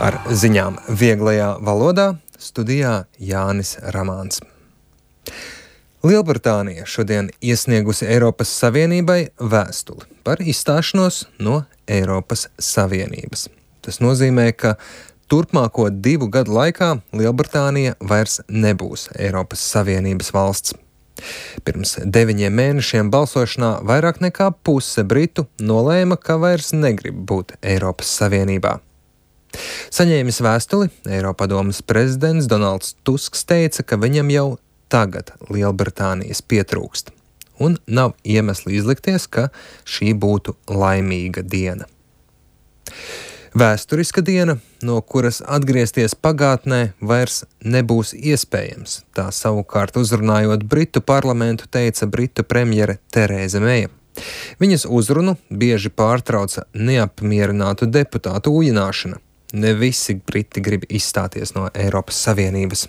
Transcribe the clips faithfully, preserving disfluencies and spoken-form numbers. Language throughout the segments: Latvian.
Ar ziņām vieglajā valodā studijā Jānis Ramāns. Lielbritānija šodien iesniegusi Eiropas Savienībai vēstuli par izstāšanos no Eiropas Savienības. Tas nozīmē, ka turpmāko divu gadu laikā Lielbritānija vairs nebūs Eiropas Savienības valsts. Pirms deviņiem mēnešiem balsošanā vairāk nekā puse britu nolēma, ka vairs negrib būt Eiropas Savienībā. Saņēmis vēstuli, Eiropadomes prezidents Donalds Tusks teica, ka viņam jau tagad Lielbritānijas pietrūkst, un nav iemesli izlikties, ka šī būtu laimīga diena. Vēsturiska diena, no kuras atgriezties pagātnē vairs nebūs iespējams, tā savukārt uzrunājot Britu parlamentu teica Britu premjere Terēza Meija. Viņas uzrunu bieži pārtrauca neapmierinātu deputātu ujināšana. Ne visi briti grib izstāties no Eiropas Savienības.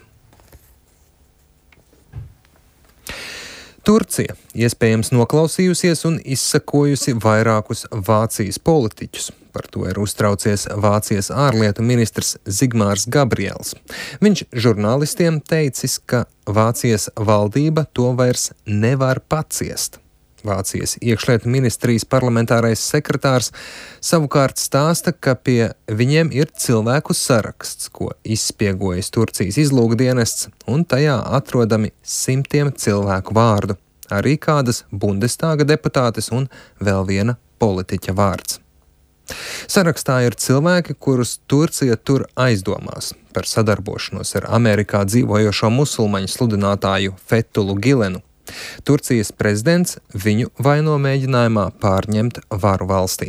Turcija iespējams noklausījusies un izsakojusi vairākus Vācijas politiķus. Par to ir uztraucies Vācijas ārlietu ministrs Zigmārs Gabriels. Viņš žurnālistiem teicis, ka Vācijas valdība to vairs nevar paciest. Vācijas iekšlietu ministrijas parlamentārais sekretārs savukārt stāsta, ka pie viņiem ir cilvēku saraksts, ko izspiegojas Turcijas izlūkdienests, un tajā atrodami simtiem cilvēku vārdu, arī kādas Bundestāga deputātes un vēl viena politiķa vārds. Sarakstā ir cilvēki, kurus Turcija tur aizdomās par sadarbošanos ar Amerikā dzīvojošo musulmaņu sludinātāju Fethulu Gilenu. Turcijas prezidents viņu vaino mēģinājumā pārņemt varu valstī.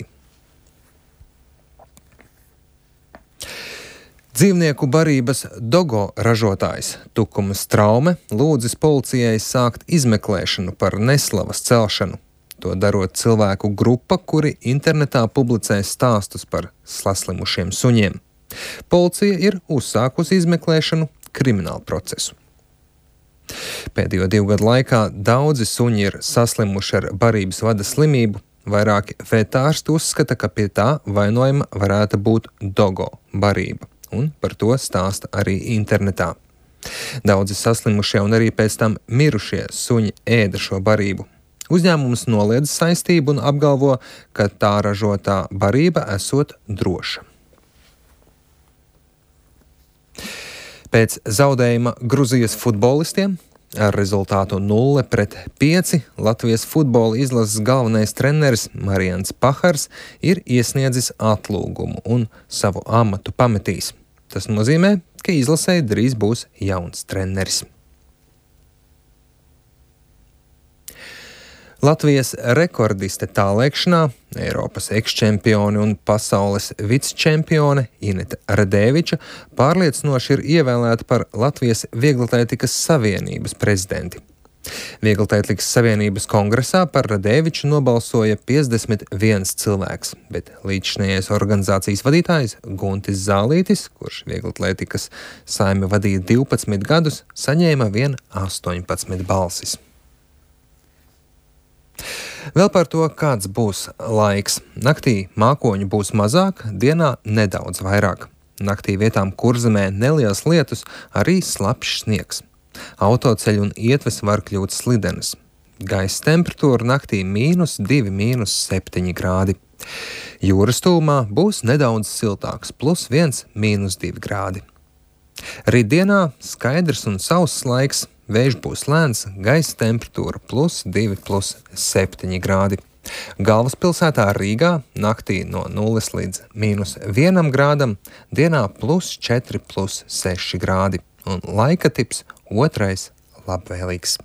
Dzīvnieku barības dogo ražotājs Tukumas Traume lūdzis policijai sākt izmeklēšanu par neslavas celšanu. To darot cilvēku grupa, kuri internetā publicē stāstus par saslimušiem suņiem. Policija ir uzsākusi izmeklēšanu kriminālu procesu. Pēdējo divu gadu laikā daudzi suņi ir saslimuši ar barības vada slimību. Vairāki vetārsti uzskata, ka pie tā vainojama varētu būt dogo barība, un par to stāsta arī internetā. Daudzi saslimušie un arī pēc tam mirušie suņi ēda šo barību. Uzņēmums noliedz saistību un apgalvo, ka tā ražotā barība esot droša. Pēc zaudējuma Gruzijas futbolistiem ar rezultātu nulle pret pieci Latvijas futbola izlases galvenais treneris Marians Pahars ir iesniedzis atlūgumu un savu amatu pametīs. Tas nozīmē, ka izlasē drīz būs jauns treneris. Latvijas rekordiste tālēkšanā, Eiropas ekščempione un pasaules vicečempione Ineta Radēviča pārliecinoši ir ievēlēta par Latvijas Vieglatlētikas Savienības prezidenti. Vieglatlētikas Savienības kongresā par Radēviču nobalsoja piecdesmit viens cilvēks, bet līdzšinējais organizācijas vadītājs Guntis Zālītis, kurš Vieglatlētikas saimi vadīja divpadsmit gadus, saņēma vien astoņpadsmit balsis. Vēl par to, kāds būs laiks. Naktī mākoņu būs mazāk, dienā nedaudz vairāk. Naktī vietām Kurzemē neliels lietus, arī slapjš sniegs. Autoceļi un ietves var kļūt slidenas. Gaisa temperatūra naktī mīnus divi, mīnus septiņi grādi. Jūras tūmā būs nedaudz siltāks, plus viens, mīnus divi grādi. Rītdienā skaidrs un sauss laiks. Vējš būs lēns, gaisa temperatūra plus divi, plus septiņi grādi. Galvaspilsētā Rīgā naktī no nulles līdz mīnus vienam grādam, dienā plus četri, plus seši grādi. Un laika tips otrais labvēlīgs.